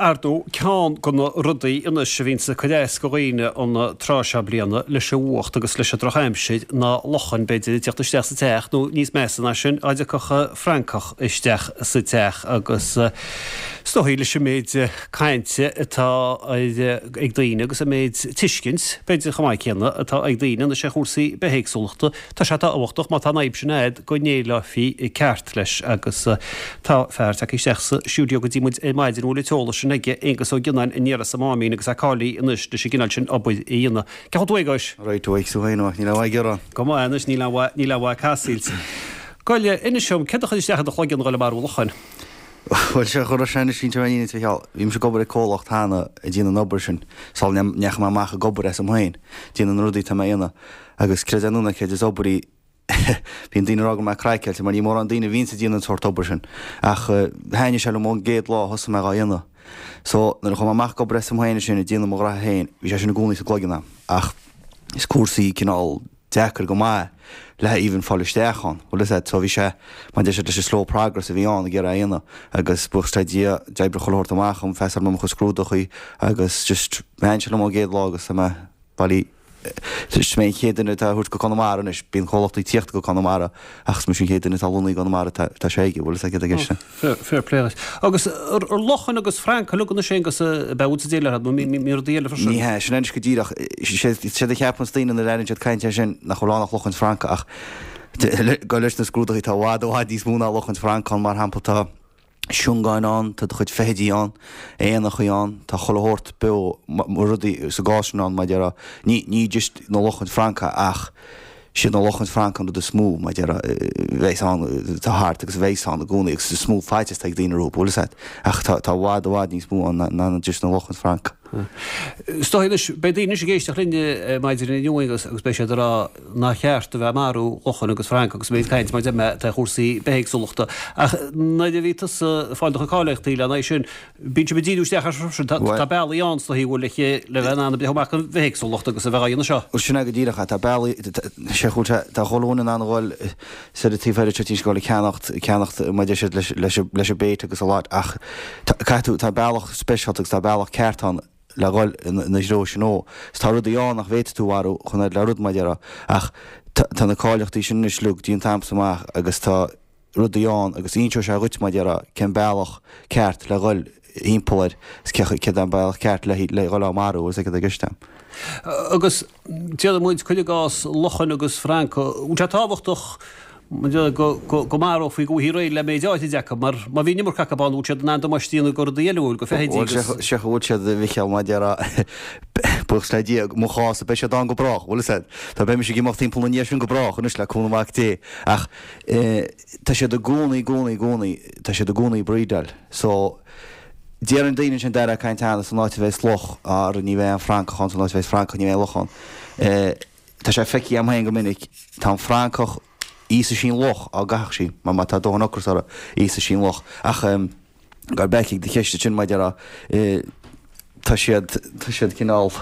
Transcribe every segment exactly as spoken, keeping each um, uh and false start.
Ar ndóigh, ceann de na rudaí anois a bhíonns ag cur as do dhaoine an tráth seo bliana leis an bhfuacht agus leis an drochaimsir ná luchain, b'fhéidir, ag teacht isteach sa teach nó níos measa ná sin, dá dtiocfadh francach isteach sa teach agus is dóigh leis an méid cainte atá ag daoine agus an méid tuiscint, b'fhéidir chomh maith céanna, atá ag daoine anois ar chúrsaí bithéagsúlachta, tá sé tábhachtach má tá an fhadhb sin a'd go ndéileáilfí ceart leis agus tá fear tagtha isteach sa stiúideo go dtí muid ar maidin a bhfuil an t-eolas sin aige, Aengus Ó Gionnáin aniar as an Máimín agus é cáilithe anois leis an gcineál sin obair a dhéanamh. Cén chaoi a bhfuil tú a Aonghuis? Right, tú féin, níl aon mhaith ag gearán. Go maith anois, níl aon mhaith, níl aon mhaith ag casaoid. Goile, inis dom, céard a chuir isteach i do chloigeann a dhul ag marú luchain? Bhuel, sé chuir sé anois inse mé a Mhichíl, bhí mise ag obair ag comhlacht cheana ag déanamh an obair sin, sula ndeachaigh mé amach ag obair asam féin, déanamh na rudaí atá mé a dhéanamh. Agus creid é nó ná creid, is obair í Bíonn daoine ag rá go bhfuil mé craiceáilte mar ní mórán daoine a bhíonns ag déanamh an sórt obair sin. Ach thaitnigh sé liom ón gcéad lá a thosaigh mé dhá dhéanamh. So, nuair a chuaigh mé amach ag obair asam féin ansin ag déanamh mo ghraithe féin, bhí sé sin i gcónaí sa gcloigeann a'm. Ach is cúrsaí cineál deacair go maith le even fáil isteach ann. Bhfuil fhios a'd, so bhí sé, mar deir siad leis an slow progress a bhí ann ag iarraidh é a dhéanamh. Agus buíochas le Dia, d'oibrigh chuile shórt amach dhom, phassáil mé mo chuid scrúdachaí agus just thaitnigh sé liom ón gcéad lá agus tá mé bailí Is mé an chéad duine atá á thabhairt go Conamara anois. Bíonn comhlachtaí ag tíocht go Conamara ach is mise an chéad duine atá lonnaithe i gConamara atá sé aige, bhfuil fhios agat céard atá i gceist. Fair play duit. Agus ar luchain agus francaigh uilig anois Aonghus ab ea a bhfuil tú ag déileáil leo nó mbíonn rudaí eile freisin? Ní hea, sin anois go díreach. Séard a cheapanns daoine nuair a airíonn siad caint air sin nach bhfuil ann ach luchain is francaigh ach go leis na scrúduithe tá i bhfad i bhfad níos mó ná luchain is francaigh ann mar shampla tá siongáin ann, tá do chuid feithidí ann, éanachaí ann, tá chuile shórt beo, rudaí sa gcás sin ann, mar a déarfá, ní, ní just na luchain is francaigh ach siad na luchain is francaigh an rud is mó, mar a déarfá, a bheas ann, atá thart agus a bheas ann i gcónaí agus is mó faitíos atá ag daoine rompu, bhfuil fhios agat, ach tá, tá i bhfad, i bhfad níos mó ann ná just na luchain is francaigh. Is dóigh anois, beidh daoine anois ag éisteacht linn maidin inniu agus beidh siad ag rá nár cheart a bheith ag marú luchain agus francaigh agus méid caint mar deir mé ar chúrsaí bithéagsúlachta. Ach nuair a bhí tusa ag fáil do chuid cáilíochtaí lena aghaidh sin, bíonn sibh ag díriú isteach air sin. Tá bealaí ann is dóigh bhfuil le bheith in ann breith amach an bhithéagsúlacht agus a bheith á dhéanamh seo. Bhuel sin é go díreach é. Tá bealaí, sé chúl sé, tá chuile dhuine in ann a dhul soir an taobh thoir anseo timpeall ag ceannacht, ceannacht mar a deir siad leis, leis, leis an bait agus a lot ach tá, caithfidh tú, tá bealach speisialta agus tá bealach ceart ann le dhul ina threo sin ó. Is tá rudaí ann nach bhféadfaidh tú a mharú chun fhad le rud mar a déarfá ach tá, tá na cáilíochtaí sin anois uilig déanta a'msa amach agus tá rudaí ann agus inseoidh sé dhuit mar a déarfá cén bealach ceart le dhul thimpeall air is cé, céard é an bealach ceart le, le dhul á marú agus céard atá i gceist a'm. Agus déarfaidh muid, cuir i gcás luchain agus francaigh, bhfuil sé tábhachtach go, go, go marófaí go bhfaighfí réidh le méid áirid acu, mar má bhí an iomarca acu ann, bhfuil siad in ann damáiste a dhéanamh go rudaí eile, bhfuil, go feithidí agus. Bhuel, sé go bhfuil siad, a Mhichíl, mar a déarfá, buíochas le Dia, mo chás, beidh siad ann go brách, bhfuil fhios a'd. Tá, beidh mise ag imeacht timpeall na ndiaidh sin go brách anois le cúnamh Mhac Dé, ach eh, tá siad i gcónaí, i gcónaí, i gcónaí, tá siad i gcónaí ag breedáil. So, deireann daoine ansin dar ag caint cheana, san áit a bheas luch, ara ní bheidh aon francach ann, san áit a bheas francach ní bheidh aon luch ann. Eh, tá sé feicthe agam féin go minic, tá an francach, íosfaidh sí an luch á gcaithfeadh sí, mar má tá dóthain ocras uirthi, íosfaidh sí an luch. Ach, em, gabh back ag do cheist ansin, mar a déarfá, eh, tá siad, tá siad cineál,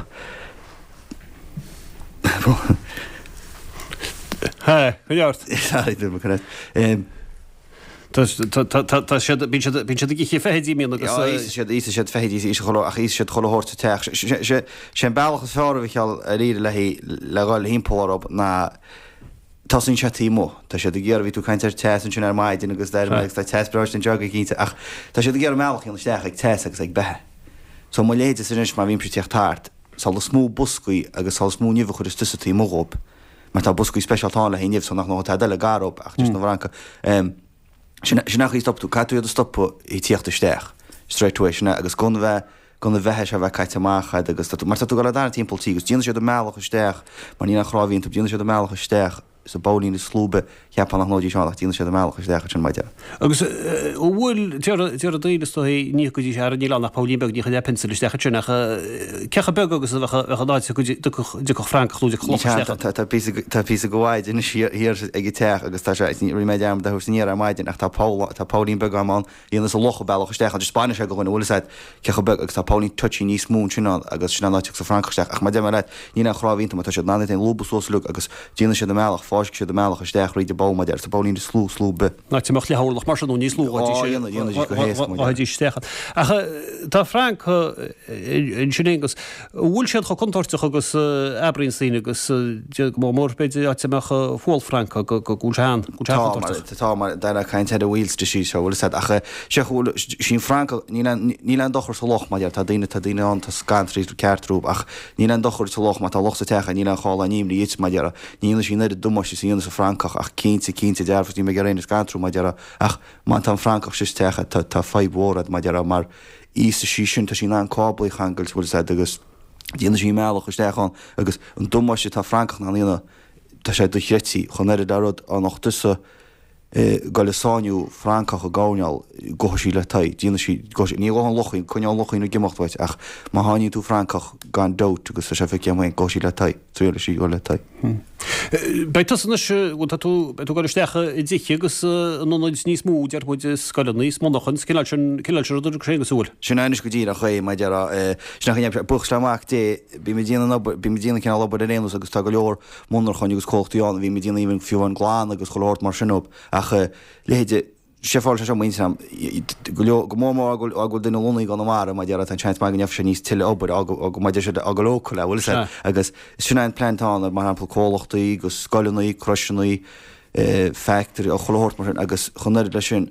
Hé, coinnigh ort. Sorry, dúirt mé correct. Em. Tá siad, bíonn siad, bíonn siad ag ithe feithidí, mbíonn agus. Á, íosfaidh siad, íosfaidh siad feithidí, íosfaidh chuile, ach íosfaidh siad chuile shórt sa teach. Sé, sé, sé an bealach is fearr a Mhichíl dáiríre le, le dhul thimpeall orthu ná tosaíonn sé taobh amuigh. Tá siad ag iarraidh, bhí tú ag caint ar teas ansin ar maidin agus d'airigh mé agus tá teas breá anseo go cinnte ach tá siad ag iarraidh a mbealach a dhéanamh isteach ag teas agus ag beatha. So mo leithéidese anois má bhímse ag tíocht thart, sula is mó boscaí agus sula is mó nimh a chuireas tusa taobh amuigh dhób, mar tá boscaí speisialta ann le haghaidh nimh so nach ndóigh tada eile gar dhób ach just na bhfrancaigh. Sin sin an chaoi a stop tú, caithfidh tú iad a stopadh ag tíocht isteach straight away sin é agus gan bheith gan an bheatha seo a bheith caite amach a'd agus tá tú mar tá tú ag dul ag tarraingt timpeall tí agus déanfaidh siad a mbealach isteach mar níl aon chnámh iontu déanfaidh siad a mbealach isteach sa bpollín is lú cheapfá nach ndóidís ann ach déanfaidh siad a mbealach isteach ansin mar a déarfá. Agus an bhfuil, déarfaidh daoine is dóigh, ní go dtí seo, níl ann ach pollín beag, ní chuirfeá pencil isteach ansin ach cé chomh beag agus a bheadh an áit go dtiocfadh francach nó dtiocfadh luch isteach ann? Tá píosa, tá píosa go mhaith anois thiar ag an teach agus tá sé, rinne mé dearmad a thabhairt aniar ar maidin ach tá poll, tá pollín beag ann, dhéanfas an luch a bealach isteach ann, just baineann sé go dhuine, bhfuil fhios a'd cé chomh beag agus tá pollín touchy níos mó ansin ann agus sin an áit a dtiocfas an francach isteach ach mar a deir mé leat, níl aon chnámh iontu mar tá siad in ann iad féin a lúbadh suas uilig agus déanfaidh siad a mbealach. fáiscfidh siad a mbealach isteach thríd an bpoll, mar a déarfá, sa bpoillín is lú, is lú ar bith. Áit a mbeadh leath-orlach mar sin nó níos lú Á, dhéanfaidís, dhéanfaidís go héasca, mar a déarfá. Ghabhfaidís isteach ann. Ach tá francaigh ansin Aonghus, an bhfuil siad chomh contúirteach agus a abraíonns daoine agus go mór mór b'fhéidir áit a mbeadh fual francach go bhfuil sé an, go bhfuil sé Tá, mar, contúirteach. tá, mar, dar le caint ar an wheels disease seo, bhfuil fhios a'd, ach sé bhfuil, sí an francach, níl aon, níl aon dochar sa loch, mar a déarfá, tá daoine, tá daoine ann, tá scantraithe ceart rompu, ach níl aon dochar sa loch, má tá loch sa teach, níl aon chall aon imní dhuit, mar a déarfá, ní dhéanfaidh sí an oiread damáiste is a dhéanfas an francach, ach cinnte, cinnte dearfa, níl mé ag iarraidh éinne a scantrú, mar a déarfá, ach má tá an francach sa teach, tá, tá fadhb mhór a'd, mar a déarfá, mar íosfaidh sí sin, tá sí in ann cáblaí a cheangailt, bhfuil fhios a'd, agus déanfaidh sí a mbealach isteach ann, agus an damáiste atá francach in ann a dhéanamh, tá sé dochreidte, chomh oiread le rud, dá mbeadh tusa. Ag goil ag sáinniú francach i gcoirnéal, gabhfaidh sí le t'aghaidh, déanfaidh sí, gabhfaidh sí, ní ghabhfaidh an luchín, coinneoidh an luchín ag imeacht uait ach má sháinníonn tú francach gan dabht agus tá sé feicthe agam féin, gabhfaidh sí le t'aghaidh, triailfidh sí dul le t'aghaidh. Beidh tusa anois, bhuel tá tú, beidh tú ag dul isteach i dtithe agus in ionaid níos mó, deir muid, i scoileanna is monarchain, sa cineál sin, cineál sin ruda agus an bhfuil? Sin é anois go díreach é, mar a déarfá, sin é an buíochas le Mac Dé, bím ag déanamh an obair, bím ag déanamh cineál obair ar aon nós agus tá go leor monarchain agus comhlachtaí ann a bhím ag déanamh even fiú amháin glanadh agus chuile shórt mar sin dóibh ach leithéide sé fáil sé seo muintir am go leor go mór mór go bhfuil duine lonnaithe i gConamara mar a déarfá tá an seans maith go ndéanfaidh sé níos tuilleadh obair go mar a deir siad go local bhfuil fhios a'd agus sin é an plean atá ann mar shampla comhlachtaí agus scoileanna croiseanna factory chuile shórt mar sin agus chomh oiread leis sin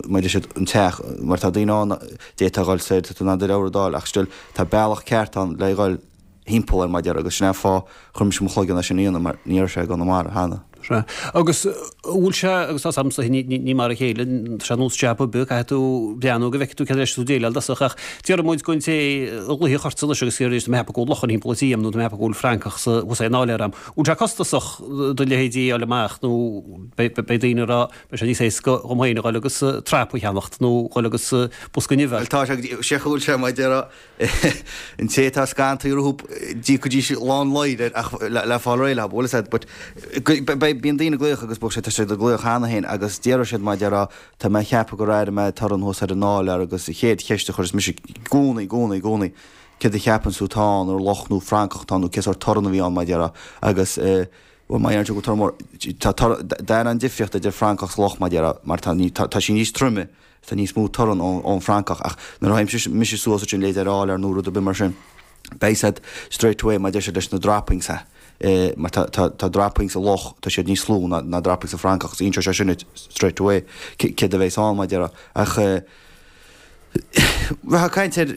mar a deir siad an teach mar tá daoine ann d'fhéadfá a dhul soir tá tú in ann do leabhar a d'fháil ach still tá bealach ceart ann le dhul thimpeall air mar a déarfá agus sin é an fáth chuir mise mo chloigeann é sin a dhéanamh mar ní raibh sé i gConamara cheana. Sea. Agus an bhfuil sé, agus tá's agamsa ní, ní, ní mar a chéile, tá sé nós jab ar bith, caithfidh tú breathnú go bhfeicfidh tú céard leis tú déileáil dtosach ach déarfaidh muid don té a ghlaofaidh ortsa anois agus iarraidh tá mé ag ceapadh go bhfuil luchain thimpeall an tí a'm nó tá mé ag ceapadh go bhfuil francach sa, thuas in áiléar a'm. Bhfuil sé costasach do leithéidí a fháil amach nó beidh, beidh daoine ag rá beidh sé níos éasca dhom féin a dhul agus trap a cheannacht nó dhul agus bosca nimhe a fháil. Bhuel tá sé go dtí, sé go bhfuil sé mar a déarfá An té atá scantraithe rompu, d'íocfaidís lán láir air ach le fáil réidh leo, bhfuil fhios a'd, but bíonn daoine ag glaoch agus bíodh sé, tá siad ag glaoch cheana féin agus déarfaidh siad mar a déarfá, tá mé ag ceapadh gur airigh mé torann thuas ar an áiléar agus an chéad cheist a chuireas mise i gcónaí, i gcónaí, i gcónaí, céard a cheapann tú atá ann, ar luch nó francach atá ann nó cén sórt torann a bhí ann mar a déarfá agus bhuel má deireann tú go torann mór, tá torann, d'aithneofá an difríocht idir francach is luch mar a déarfá mar tá, tá sí níos troime. Tá níos mó torann ón bhfrancach ach nuair a théim mise suas ansin leithéid ar áiléar nó rud ar bith mar sin, beidh a fhios a'd straight away mar a deir siad leis na droppings mar tá tá tá droppings sa luch tá siad níos lú ná ná droppings sa bhfrancach agus inseoidh sé sin duit straight away céard a bheas ann mar a déarfá ach bheifeá ag caint ar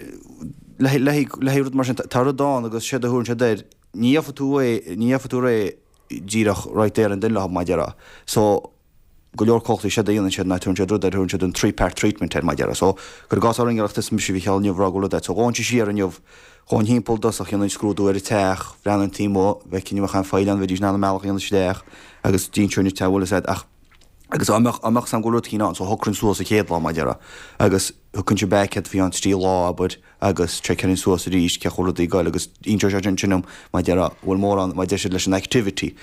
le le le haghaidh rud mar sin tá rud ann agus séard a thabharann siad air ní gheobhaidh tú é ní gheobhaidh tú réidh díreach right there and then leo mar a déarfá so go leor comhlachtaí séard a dhéanann siad ná tugann siad rud air, tugann siad an three part treatment air mar a déarfá. So, cuir i gcás orainn ar is mise a Mhícheál inniu rá go bhfuil rud agat. So, ghabhainnse siar inniu, ghabhainn thimpeall i dtosach, dhéanfainn scrúdú ar an teach, bhreathnóinn taobh amuigh, bhfeicfinn an mbeadh aon phoill ann, bheidís in ann a mbealach a dhéanamh isteach agus d'inseoinn duit é, bhfuil fhios a'd ach agus dá mbeadh, dá mbeadh 's a'm go bhfuil rud eicínt ann, so shocrainn suas an chéad lá mar a déarfá agus thiocfainnse back a'd faoi cheann trí lá abair agus seiceálfainn suas arís cén chaoi a bhfuil rudaí ag goil agus inseoidh sé sin sin dom mar a déarfá, bhfuil mórán mar a deir siad leis an activity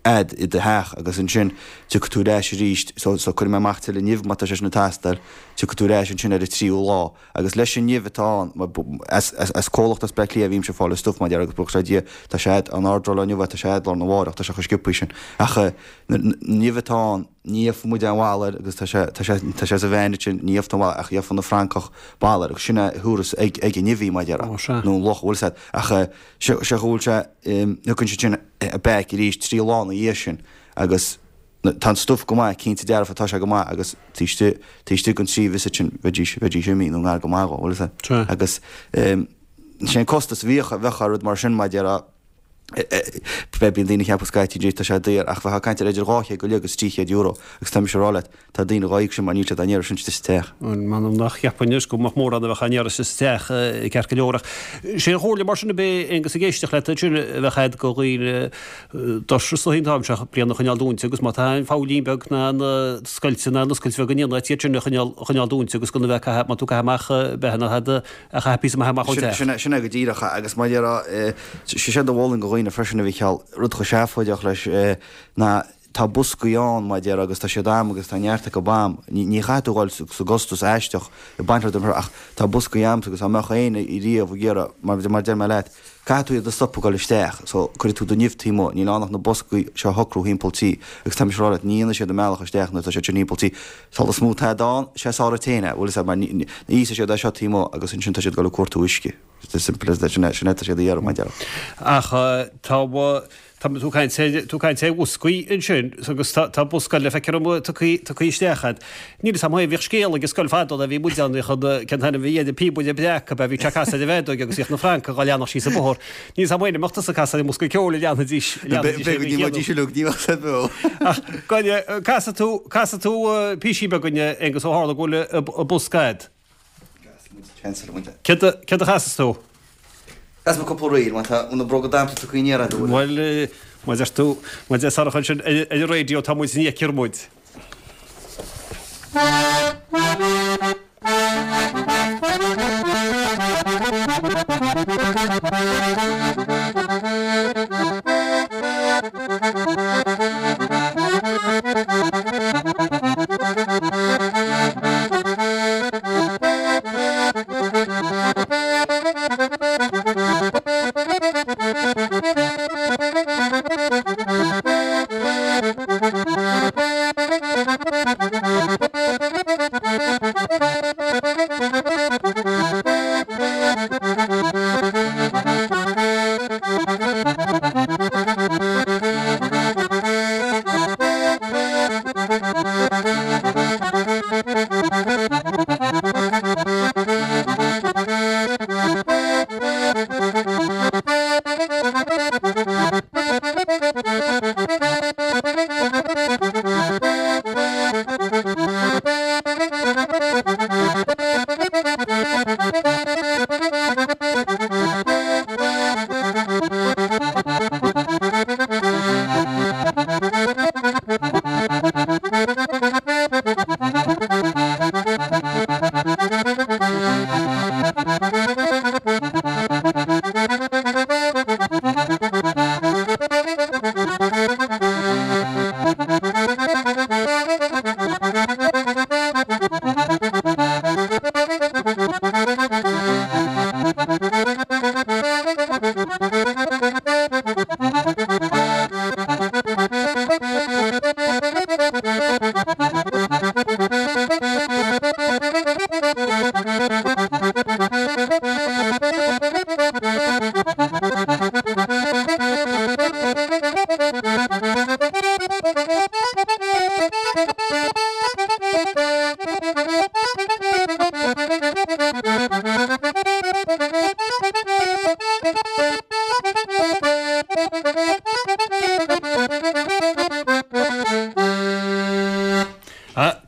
a'd i do theach agus ansin tiocfaidh tú ar ais arís so so cuirfidh mé amach tuilleadh nimh má tá sé sin ag teastáil tiocfaidh tú ar ais ansin ar an tríú lá agus leis an nimh atá ann mar as as as comhlacht as Bleá Cliath a bhímse ag fáil an stuif mar a déarfá agus buíochas le Dia tá sé a'd an ordráil inniu tá sé a'd lá arna mháireach tá sé chomh sciobtha sin ach an nimh atá ann ní gheobhaidh muid aon bhail air agus tá sé tá sé tá sé sa veain ansin ní gheobhaidh tú aon bhail ach gheobhaidh na francaigh bail air agus sin é a thabharfas ag ag an nimh í mar a déarfá nó an luch bhfuil 's a'd ach sé sé go bhfuil sé thiocfainn ansin back arís trí lá ina dhiaidh sin agus tá an stuif go maith, cinnte dearfa tá sé go maith agus taobh istigh, taobh istigh den trí visit sin bheidís, bheidís imithe nó ngar go maith dhó, bhfuil 'fhios a'd. Agus sé an costas a bhíodh, bheadh ar rud mar sin mar a déarfá, bíonn daoine ag ceapadh scaití tá sé daor ach bheifeá ag caint ar idir dhá chéad go leith agus trí chéad euro agus tá mise ag rá leat, Tá daoine dhá íoc sin mar níl siad á n-iarraidh sin istigh sa teach. Bhuel, m'anam nach gceapfainn anois go mbeadh mórán a bheadh á n-iarraidh istigh sa teach ceart go leor ach sé an chomhairle mar sin ab é Aonghus ag éisteacht leat ansin a bheadh a'd go dhaoine doirse is dóichí an t-am seo bliana a choinneáil dúinte agus má tá an phoillín beag ná an scoilt ná an oscailt bheag in aon áit iad sin a choinneáil a choinneáil dúinte agus gan a bheith ag caitheamh má tú ag caitheamh amach beatha ná tada a chaitheamh píosa maith amach ón teach. Sin sin é go díreach agus mar a déarfá sé séard a mholfainn go dhaoine freisin a Mhícheál rud chomh seafóideach leis ná tá boscaí ann mar a déarfá agus tá siad a'm agus tá neart acu a'm. Ní ní chaithfidh tú dhul sa gcostas aisteach ag baint rud ach tá boscaí a'msa agus dá mbeadh éinne riamh ag iarraidh mar mar deir mé leat, caithfidh tú iad a stopadh ag dul isteach so cuirfidh tú do nimh taobh amuigh, níl ann ach na boscaí seo a shocrú thimpeall tí agus tá mise ag rá leat ní dhéanfaidh siad a mbealach isteach nuair atá siad sin thimpeall tí. Sula is mó tada ann, sé sár téine, bhfuil fhios a'd mar ní íosfaidh siad é seo taobh amuigh agus ansin tá siad ag dul ag cuartú uisce. It's as simple as that, sin é sin é atá siad a iarraidh mar a déarfá. Ach tá Tá tú ag caint ar tú ag caint ar bhoscaí ansin agus tá tá bosca le feiceáil amuigh tugtha tugtha isteach a'd. Níl fhios a'm bhíodh scéal ag an scoil fadó nuair a bhí muid ann bhíodh an cén t-ainm a bhí air an píobaire breac ab ea bhíodh sé ag casadh ar an bhfeadóig agus bhíodh na francaigh á leanacht síos an bóthar. Níl fhios a'm féin an mbeadh tusa ag casadh ar an mbosca ceoil a leanfaidís leanfaidís é Ní bheidís uilig ní bheadh said beo. Ach gabh casfaidh tú casfaidh tú píosaí beag dúinn Aonghus ó tharla go bhfuil an bosca a'd. Céard a céard a chasfas tú? Casfaidh mé cúpla ríl, má tá na bróga damhsa tugtha aniar aduaidh. Bhuel, má deir tú, má deir Sarach ansin ar an raidió tá muid ní fheictear muid.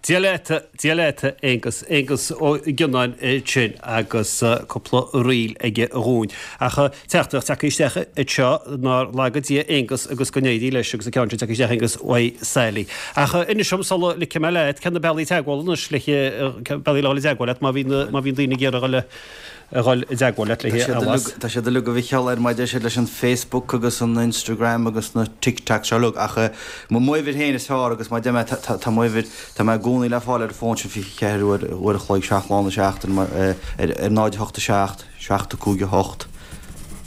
Dia leat, Dia leat, Aonghus, Aonghus Ó Gionnáin ansin agus cúpla ríl aige dhúinn. Ach teachtaireacht tagtha isteach anseo nár laga Dia Aonghus agus go n-éirí leis agus an ceann sin tagtha isteach Aonghus uaidh Sally. Ach inis dom sula ligfidh mé leat, cé na bealaí teagmhála anois le bealaí le dhul i dteagmháil leat má bhíonn má bhíonn daoine ag iarraidh dhul a dhul i dteagmháil leat le haghaidh Tá siad uilig a Mhicheáil ar maidin siad leis an Facebook agus an Instagram agus na TikToks seo uilig ach m'uimhir féin is fearr agus mar a deir mé tá m'uimhir tá mé i gcónaí le fáil ar an bhfón sin fiche ceathair uair uair a chloig seacht lá na seachtaine mar ar ar náid a hocht a seacht, seacht a cúig a hocht,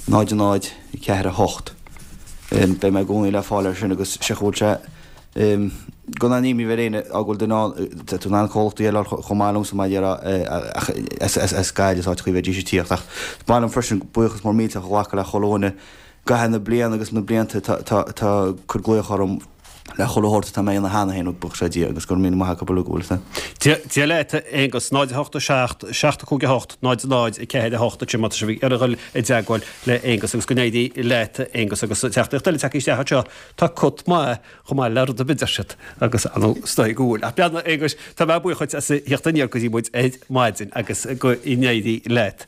náid a náid, ceathair a hocht. Beidh mé i gcónaí le fáil air sin agus sé go bhfuil sé Gan aon imní bheith ar éinne á go bhfuil duine ann, tá tú in ann comhlachtaí eile chomh maith liomsa mar a déarfá ach as Gaillimh is áiteachaí a bheidís ag tíocht ach is maith liom freisin buíochas mór millteach a ghlacadh le chuile dhuine i gcaitheamh na bliana agus na blianta atá ag cur glaoch orm le chuile shórt atá mé a dhéanamh cheana féin buíochas le Dia agus go raibh míle maith acu uilig go bhfuil a Dia leat a Aonghus, náid a hocht a seacht, seacht a cúig a hocht, náid a náid, a ceathair a hocht ansin má tá sibh ag iarraidh dhul i dteagmháil le Aonghus agus go n-éirí leat a Aonghus agus teachtaireacht eile tagtha isteach anseo tá cut maith chomh maith le rud ar bith deir siad agus ar ndóigh is dóigh go bhfuil. Ach beannacht Aonghuis, tá mé buíoch dhuit as a theacht aniar go dtí muid ar maidin agus go n-éirí leat.